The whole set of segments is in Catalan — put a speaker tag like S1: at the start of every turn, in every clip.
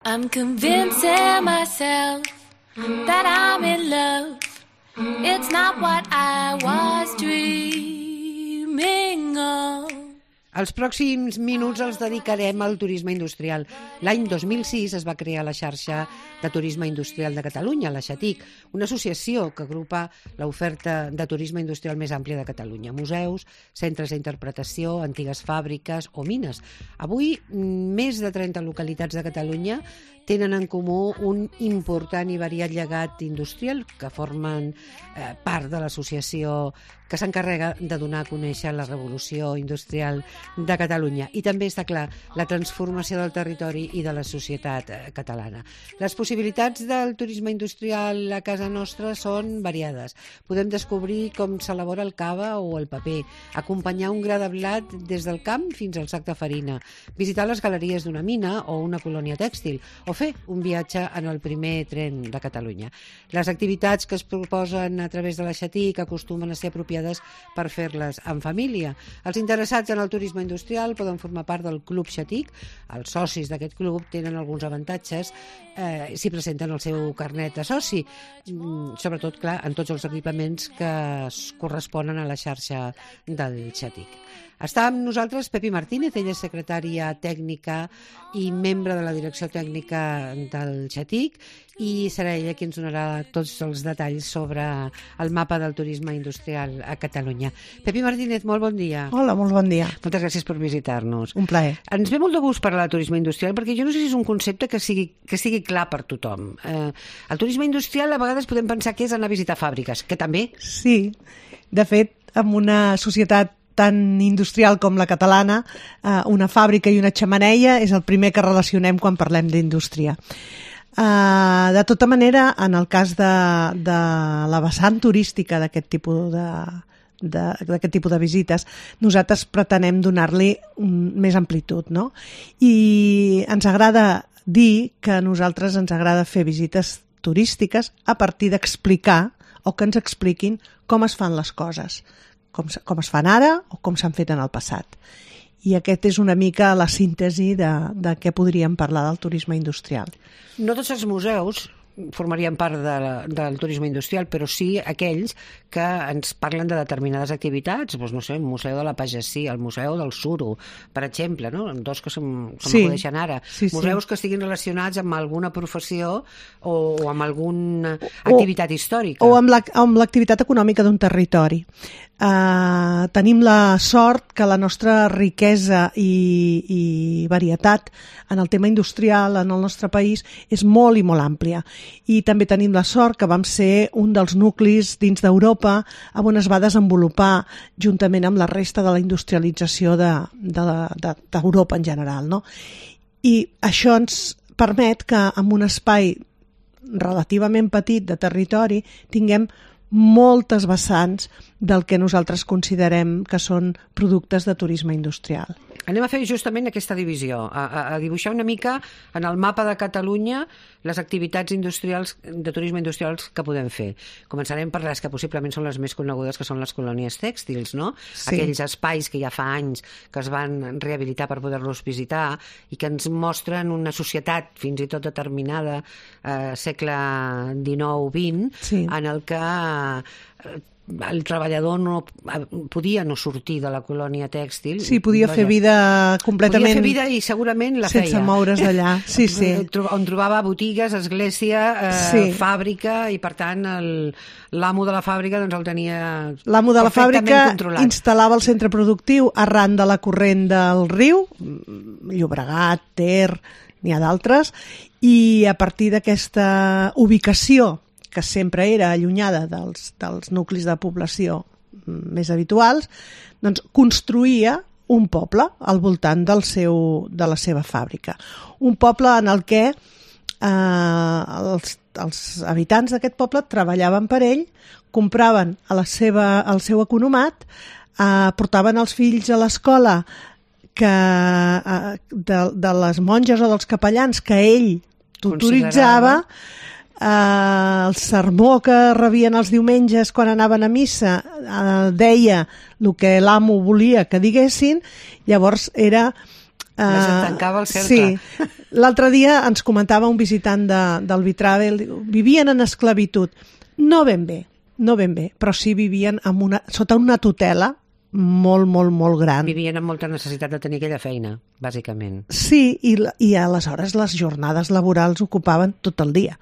S1: I'm convincing myself that I'm in love. It's not what I was dreaming of.
S2: Els pròxims minuts els dedicarem al turisme industrial. L'any 2006 es va crear la xarxa de turisme industrial de Catalunya, la XATIC, una associació que agrupa l'oferta de turisme industrial més àmplia de Catalunya. Museus, centres d'interpretació, antigues fàbriques o mines. Avui, més de 30 localitats de Catalunya tenen en comú un important i variat llegat industrial que formen part de l'associació que s'encarrega de donar a conèixer la revolució industrial de Catalunya. I també està clar la transformació del territori i de la societat catalana. Les possibilitats del turisme industrial a casa nostra són variades. Podem descobrir com s'elabora el cava o el paper, acompanyar un gra de blat des del camp fins al sac de farina, visitar les galeries d'una mina o una colònia tèxtil, o fer un viatge en el primer tren de Catalunya. Les activitats que es proposen a través de la XATIC acostumen a ser apropiades per fer-les en família. Els interessats en el turisme industrial poden formar part del Club XATIC. Els socis d'aquest club tenen alguns avantatges si presenten el seu carnet de soci, sobretot, clar, en tots els equipaments que es corresponen a la xarxa del XATIC. Està amb nosaltres Pepi Martínez, ella és secretària tècnica i membre de la direcció tècnica del XATIC, i serà ella qui ens donarà tots els detalls sobre el mapa del turisme industrial a Catalunya. Pepi Martínez, molt bon dia.
S3: Hola, molt bon dia.
S2: Moltes gràcies per visitar-nos.
S3: Un plaer.
S2: Ens ve molt de gust parlar de turisme industrial perquè jo no sé si és un concepte que sigui clar per tothom. El turisme industrial a vegades podem pensar que és anar a visitar fàbriques, que també.
S3: Sí, de fet, en una societat tan industrial com la catalana, una fàbrica i una xemeneia és el primer que relacionem quan parlem d'indústria. De tota manera, en el cas de la vessant turística d'aquest tipus de visites, nosaltres pretenem donar-li més amplitud, no? I ens agrada dir que a nosaltres ens agrada fer visites turístiques a partir d'explicar o que ens expliquin com es fan les coses, com es fan ara o com s'han fet en el passat. I aquest és una mica la síntesi de què podríem parlar del turisme industrial.
S2: No tots els museus formarien part del turisme industrial, però sí aquells que ens parlen de determinades activitats, doncs no sé, el Museu de la Pagesia, el Museu del Suro, per exemple, no? Dos que m'acudeixen ara.
S3: Sí.
S2: Museus que estiguin relacionats amb alguna professió o amb alguna activitat històrica.
S3: O amb l'activitat econòmica d'un territori. Tenim la sort que la nostra riquesa i varietat en el tema industrial en el nostre país és molt i molt àmplia, i també tenim la sort que vam ser un dels nuclis dins d'Europa on es va desenvolupar juntament amb la resta de la industrialització d'Europa en general, no? I això ens permet que en un espai relativament petit de territori tinguem moltes vessants del que nosaltres considerem que són productes de turisme industrial.
S2: Anem a fer justament aquesta divisió, a dibuixar una mica en el mapa de Catalunya les activitats industrials de turisme industrials que podem fer. Començarem per les que possiblement són les més conegudes, que són les colònies tèxtils, no? Sí. Aquells espais que ja fa anys que es van rehabilitar per poder-los visitar i que ens mostren una societat fins i tot determinada, segle XIX-XX, sí, en el que el treballador no podia no sortir de la colònia tèxtil.
S3: Sí, podia fer vida completament...
S2: Podia fer vida i segurament la feia.
S3: Sense moure's d'allà, sí.
S2: On trobava botigues, església, fàbrica, i per tant l'amo de la fàbrica doncs el tenia perfectament controlat. L'amo de la fàbrica
S3: instal·lava el centre productiu arran de la corrent del riu, Llobregat, Ter, n'hi ha d'altres, i a partir d'aquesta ubicació que sempre era allunyada dels nuclis de població més habituals, doncs construïa un poble al voltant de la seva fàbrica. Un poble en el que els habitants d'aquest poble treballaven per ell, compraven el seu economat, portaven els fills a l'escola de les monges o dels capellans que ell tutoritzava, el sermó que rebien els diumenges quan anaven a missa deia el que l'amo volia que diguessin. Llavors era
S2: Es tancava el cercle.
S3: Sí. L'altre dia ens comentava un visitant del Vitravel, vivien en esclavitud. No ben bé, però sí vivien sota una tutela molt, molt, molt gran.
S2: Vivien amb molta necessitat de tenir aquella feina, bàsicament.
S3: Sí, i aleshores les jornades laborals ocupaven tot el dia.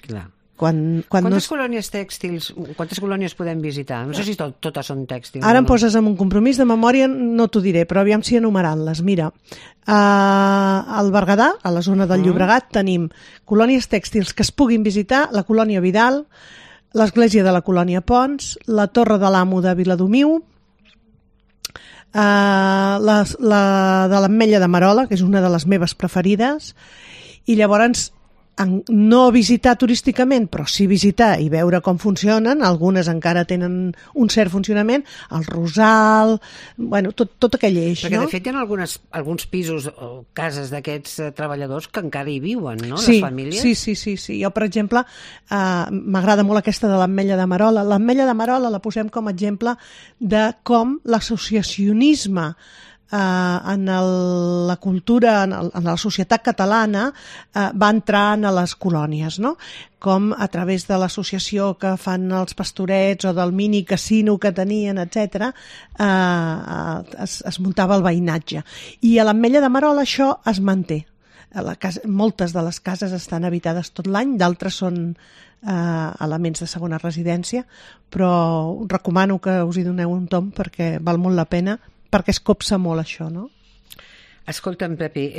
S2: Clar.
S3: Quantes
S2: colònies tèxtils, quantes colònies podem visitar? No sé si totes són tèxtils.
S3: Ara em poses en un compromís de memòria, no t'ho diré, però aviam si enumerant-les. Mira, al Berguedà, a la zona del Llobregat, tenim colònies tèxtils que es puguin visitar, la colònia Vidal, l'església de la colònia Pons, la Torre de l'Amo de Viladomiu, la de l'Ametlla de Marola, que és una de les meves preferides, i llavors no visitar turísticament, però sí visitar i veure com funcionen. Algunes encara tenen un cert funcionament, el Rosal, bueno, tot aquell eix,
S2: perquè,
S3: no?
S2: de fet, hi ha alguns pisos o cases d'aquests treballadors que encara hi viuen, no?
S3: Sí,
S2: les famílies.
S3: Sí. Jo, per exemple, m'agrada molt aquesta de l'Ametlla de Marola. L'Ametlla de Marola la posem com a exemple de com l'associacionisme en la cultura, en la societat catalana, va entrar a les colònies, no? Com a través de l'associació que fan els pastorets o del mini casino que tenien, etc., es muntava el veïnatge. I a l'Ametlla de Marola això es manté. Moltes de les cases estan habitades tot l'any, d'altres són elements de segona residència, però recomano que us hi doneu un tomb perquè val molt la pena, perquè es copsa molt això, no?
S2: Escolta'm, Pepi,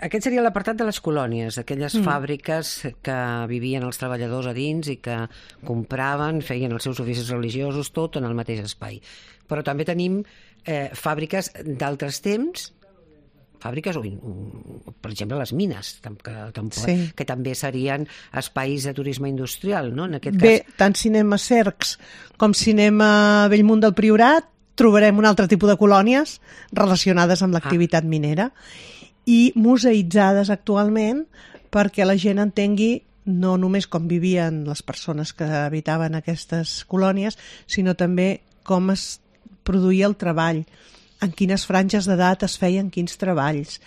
S2: aquest seria l'apartat de les colònies, aquelles fàbriques que vivien els treballadors a dins i que compraven, feien els seus oficis religiosos, tot en el mateix espai. Però també tenim fàbriques d'altres temps, fàbriques, per exemple, les mines, que també serien espais de turisme industrial, no? En aquest cas...
S3: Bé, tant Cinema Cercs com Cinema Bellmunt del Priorat trobarem un altre tipus de colònies relacionades amb l'activitat minera i museïtzades actualment perquè la gent entengui no només com vivien les persones que habitaven aquestes colònies, sinó també com es produïa el treball, en quines franges d'edat es feien quins treballs,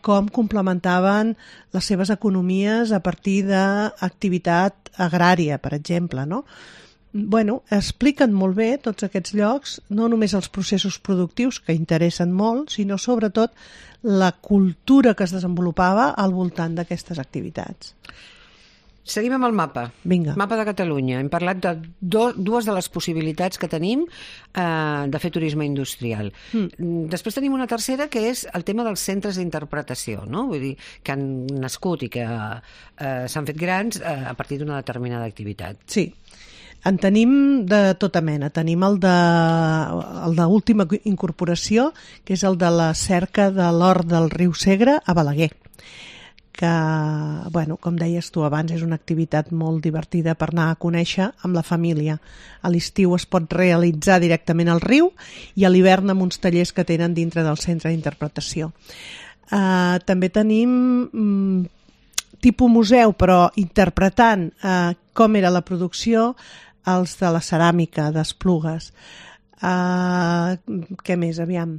S3: com complementaven les seves economies a partir d'activitat agrària, per exemple, no? Bueno, expliquen molt bé tots aquests llocs, no només els processos productius, que interessen molt, sinó sobretot la cultura que es desenvolupava al voltant d'aquestes activitats.
S2: Seguim amb el mapa.
S3: Vinga.
S2: Mapa de Catalunya. Hem parlat de dues de les possibilitats que tenim de fer turisme industrial. Després tenim una tercera, que és el tema dels centres d'interpretació, no? Vull dir, que han nascut i que s'han fet grans a partir d'una determinada activitat.
S3: Sí. En tenim de tota mena. Tenim el d'última incorporació, que és el de la cerca de l'or del riu Segre a Balaguer, que, bueno, com deies tu abans, és una activitat molt divertida per anar a conèixer amb la família. A l'estiu es pot realitzar directament al riu i a l'hivern amb uns tallers que tenen dintre del centre d'interpretació. També tenim tipus museu, però interpretant com era la producció, els de la ceràmica d'Esplugues. Què més? Aviam.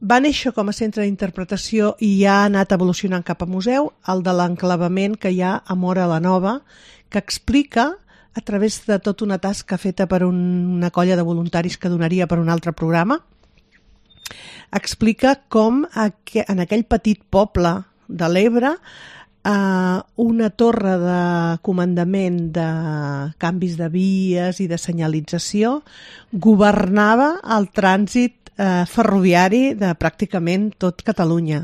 S3: Va néixer com a centre d'interpretació i ja ha anat evolucionant cap a museu, el de l'enclavament que hi ha a Móra la Nova, que explica, a través de tota una tasca feta per una colla de voluntaris que donaria per un altre programa, explica com en aquell petit poble de l'Ebre una torre de comandament de canvis de vies i de senyalització governava el trànsit ferroviari de pràcticament tot Catalunya,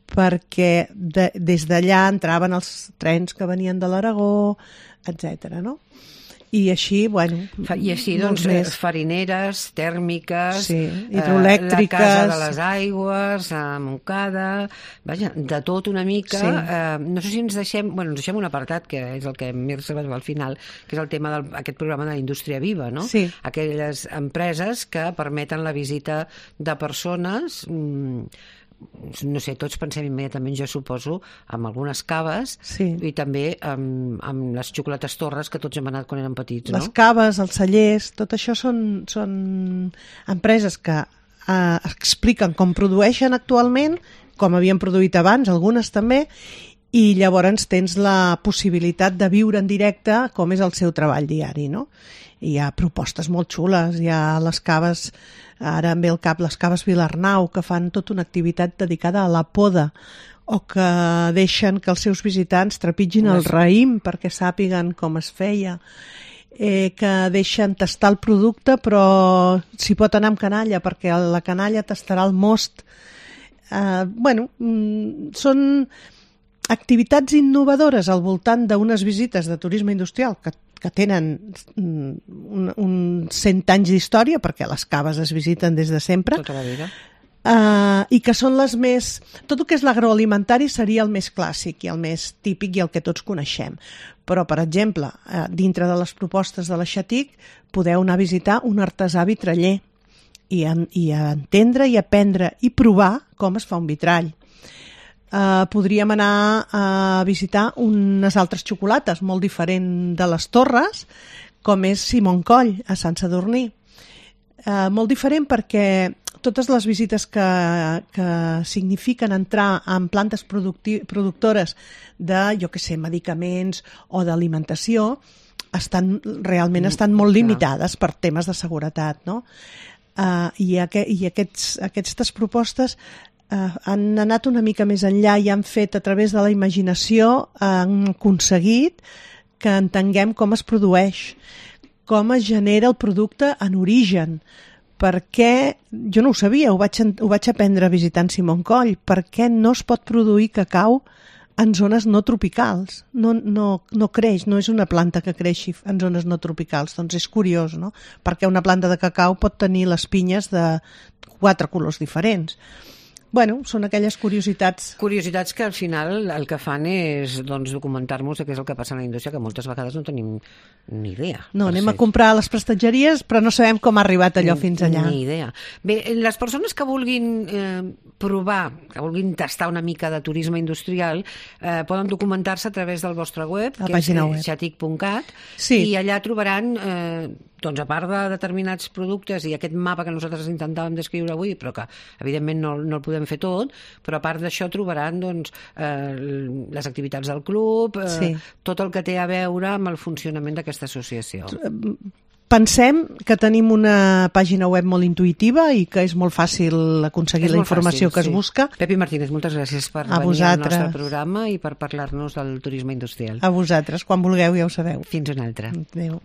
S3: perquè des d'allà entraven els trens que venien de l'Aragó, etc. no? I així, bueno...
S2: I així, doncs, farineres, tèrmiques,
S3: sí, hidroelèctriques...
S2: la Casa de les Aigües, Montcada... Vaja, de tot una mica. Sí. No sé si ens deixem... Bueno, ens deixem un apartat, que és el que m'he reservat al final, que és el tema d'aquest programa de la indústria viva, no?
S3: Sí.
S2: Aquelles empreses que permeten la visita de persones... no sé, tots pensem immediatament, jo suposo, amb algunes caves, sí, i també amb les xocolates Torres que tots hem anat quan érem petits, no?
S3: Les caves, els cellers, tot això són empreses que expliquen com produeixen actualment, com havien produït abans, algunes també, i llavors tens la possibilitat de viure en directe com és el seu treball diari, no? I hi ha propostes molt xules, hi ha les caves, ara em ve al cap les caves Vilarnau, que fan tota una activitat dedicada a la poda, o que deixen que els seus visitants trepitgin el raïm perquè sàpiguen com es feia, que deixen tastar el producte però s'hi pot anar amb canalla perquè la canalla tastarà el most. Són activitats innovadores al voltant d'unes visites de turisme industrial que tenen uns 100 anys d'història, perquè les caves es visiten des de sempre.
S2: Tota la vida.
S3: I que són les més... Tot el que és l'agroalimentari seria el més clàssic i el més típic i el que tots coneixem. Però, per exemple, dintre de les propostes de la Xatic podeu anar a visitar un artesà vitraller i entendre i aprendre i provar com es fa un vitrall. Podríem anar a visitar unes altres xocolates molt diferent de les Torres, com és Simon Coll, a Sant Sadurní. Molt diferent perquè totes les visites que signifiquen entrar en plantes productores de, jo què sé, medicaments o d'alimentació, realment estan molt limitades per temes de seguretat, no? I aquestes propostes han anat una mica més enllà i han fet, a través de la imaginació, han aconseguit que entenguem com es produeix, com es genera el producte en origen, perquè, jo no ho sabia, ho vaig aprendre visitant Simon Coll, perquè no es pot produir cacau en zones no tropicals, no creix, no és una planta que creixi en zones no tropicals, doncs és curiós, no? Perquè una planta de cacau pot tenir les pinyes de 4 colors diferents. Bueno, són aquelles curiositats.
S2: Curiositats que al final el que fan és documentar-nos què és el que passa en la indústria, que moltes vegades no tenim ni idea.
S3: No, anem a comprar a les prestatgeries, però no sabem com ha arribat allò fins allà.
S2: Ni idea. Bé, les persones que vulguin provar, que vulguin tastar una mica de turisme industrial, poden documentar-se a través del vostre web, que és xatic.cat, i allà trobaran... doncs a part de determinats productes i aquest mapa que nosaltres intentàvem descriure avui, però que evidentment no el podem fer tot, però a part d'això trobaran les activitats del club, tot el que té a veure amb el funcionament d'aquesta associació.
S3: Pensem que tenim una pàgina web molt intuïtiva i que és molt fàcil aconseguir la informació que es busca.
S2: Pepi Martínez, moltes gràcies per venir al nostre programa i per parlar-nos del turisme industrial.
S3: A vosaltres, quan vulgueu ja ho sabeu.
S2: Fins una altra.
S3: Adéu.